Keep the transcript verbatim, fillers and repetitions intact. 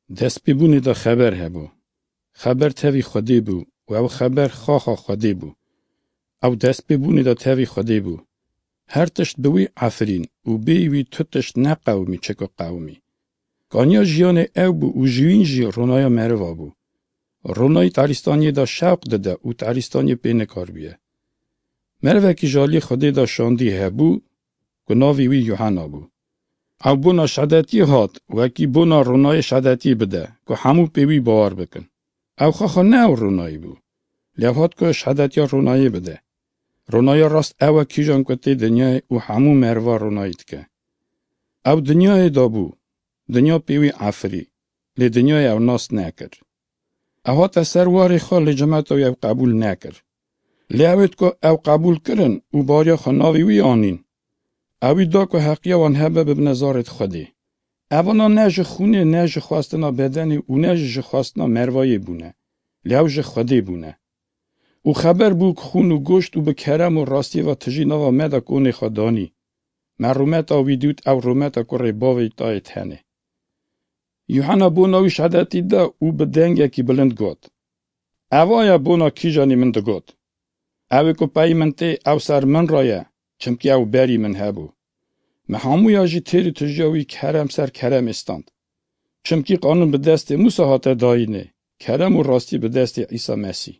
Destpêbûnê de xeber hebû. Xeber tevî Xwedê bû û ew xeber xaxa Xwedê bû. Ew destpêbûnê de tevî Xwedê bû. Her tişt bi wî efirîn û bêyî wî tu tişt neqewimî çi ku qewimî. Kaniya jiyanê ew bû û ji wîn jî ronaya meriva bû. Ronayî tarîstaniyê de şewq dide û tarîstaniyê pê nikaribiye. Merivekî ji aliyê Xwedê de şandî hebû ku navê wî Yuhena bû. Ew bona şedetiyê hat, wekî bona ronayê şedetiyê bide, ku hemû pê wî bawer bikin. Ew xaxa ne ew ronayî bû. Lê ew hat ku şedetiya ronayê bide. Ronaya rast ew e kîjan ku tê dinyayê û hemû meriva ronayî dike. Ew dinyayê de bû. Dinya pê wî efirî. Lê dinyayê ew nas nekir. Ew hate ser warê xwe lê cemeta wî ew qebûl nekir. Lê ewêt ku ew qebûl kirin û bariya xwe navê wî anîn. Ewî da ku heqiya wan hebe bibine zarêt Xwedê. Evana ne ji xûnê ne ji xwestina bedenê û ne jî ji xwestina mervayê bûne. Lê ew ji Xwedê bûne. Û xeber bû ku xûn û goşt û bi kerem û rastiyê ve tijî nava me de konê xwe danî. Me rûmeta wî dît ew rûmeta kurê bavê tayê tenê. Yuhena bona wî şedetî da û bi dengekî bilind got, Eva ye bona kîjanî min digot. Ew ê ku peyî min tê ew ser min re ye, çimkî ew berî min hebû. Me hemûya jî têrî tijiya wî kerem ser keremê stand. Çimkî qanûn bi destê Mûsa hate dayînê, kerem û rastî bi destê Îsa Mesîh.